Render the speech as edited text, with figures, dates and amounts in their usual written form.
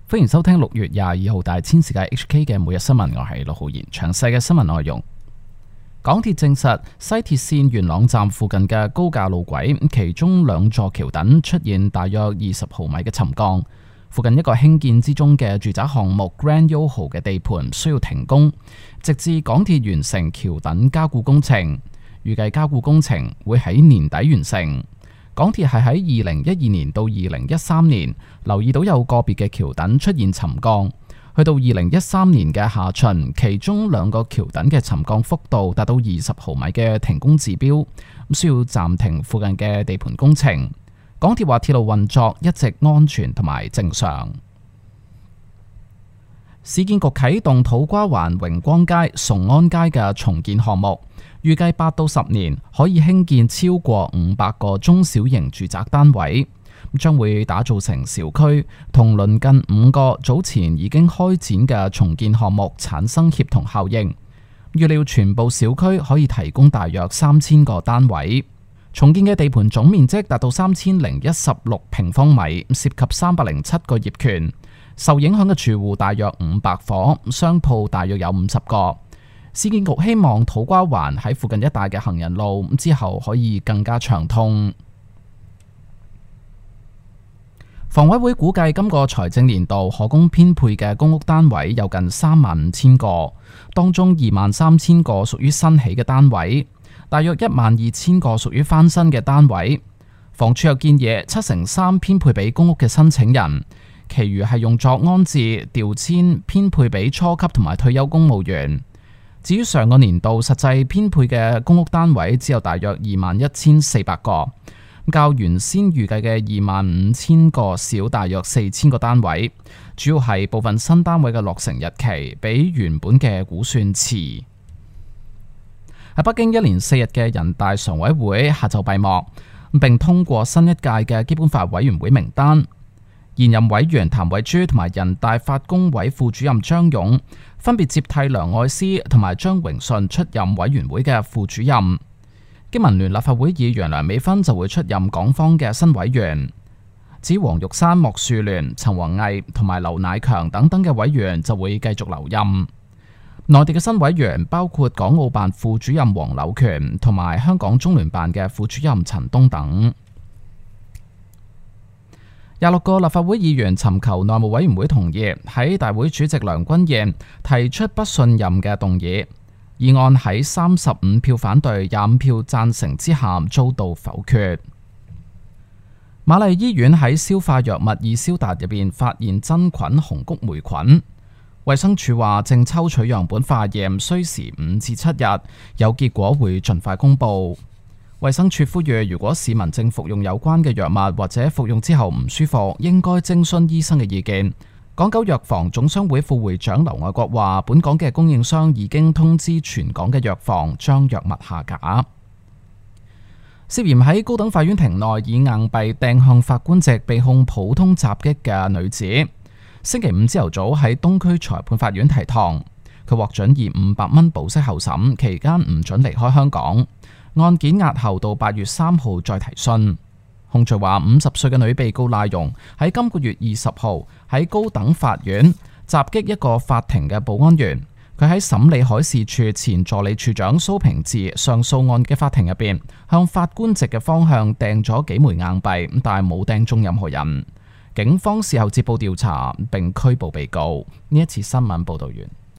歡迎收聽6月22號大千世界 HK 嘅每日新聞，我係陸浩然。詳細嘅新聞內容，港鐵證實西鐵線元朗站附近嘅高架路軌，其中2座橋躉出現大約20毫米嘅沉降，附近一個興建之中嘅住宅項目 Grand YOHO 嘅地盤需要停工，直至港鐵完成橋躉加固工程，預計加固工程會喺年底完成。港鐵係喺2012年到2013年留意到有個別嘅橋躉出現沉降，去到2013年嘅下旬，其中2個橋躉嘅沉降幅度達到20毫米嘅停工指標，需要暫停附近嘅地盤工程。港鐵話鐵路運作一直安全同埋正常。市建局啟動土瓜灣榮光街、崇安街嘅重建項目，預計8到10年可以興建超過500個中小型住宅單位，將會打造成小區，同鄰近5個早前已經開展嘅重建項目產生協同效應。預料全部小區可以提供大約3000個單位。重建嘅地盤總面積達到3016平方米，涉及307個業權。受影響嘅住戶大約500伙，商鋪大約有50個。市建局希望土瓜灣喺附近一帶嘅行人路之後可以更加暢通。房委會估計今個財政年度可供編配嘅公屋單位有近35000個，當中23000個屬於新起嘅單位，大約12000個屬於翻新嘅單位。房署又建議3%編配俾公屋嘅申請人，其餘係用作安置、調遷、編配俾初級同埋退休公務員。至於上個年度實際編配嘅公屋單位只有大約21400個，較原先預計嘅25000個少大約4000個單位，主要係部分新單位嘅落成日期比原本嘅估算遲。喺北京1連4日嘅人大常委會下晝閉幕，並通過新一屆嘅基本法委員會名單。現任委員譚惠珠同埋人大法工委副主任張勇分別接替梁愛詩同埋張榮順出任委員會嘅副主任。經民聯立法會議員梁美芬就會出任港方嘅新委員。至於黃玉山、莫樹聯、陳弘毅同埋劉乃強等等嘅委員就會繼續留任。內地嘅新委員包括港澳辦副主任黃柳權同埋香港中聯辦嘅副主任陳東等。26個立法會議員尋求內務委員會同意喺大會主席梁君彥提出不信任嘅動議，議案喺35票反對、25票贊成之下遭到否決。瑪麗醫院喺消化藥物易消達入邊發現真菌紅谷霉菌，衛生署話正抽取樣本化驗，需時5至7日，有結果會盡快公佈。衛生署呼籲，如果市民正服用有關嘅藥物或者服用之後唔舒服，應該徵詢醫生嘅意見。港九藥房總商會副會長劉愛國話，本港嘅供應商已經通知全港嘅藥房將藥物下架。涉嫌喺高等法院庭內以硬幣掟向法官席被控普通襲擊嘅女子，星期五朝頭早喺東區裁判法院提堂，佢獲准以500蚊保釋候審，期間唔准離開香港。案件押後到8月3號再提訊。控罪話50歲嘅女被告賴容喺今個月20號喺高等法院襲擊一個法庭嘅保安員。佢喺審理海事處前助理處長蘇平治上訴案嘅法庭入邊，向法官席嘅方向掟咗幾枚硬幣，但係冇掟中任何人。警方事後接報調查並拘捕被告。呢一次新聞報道完。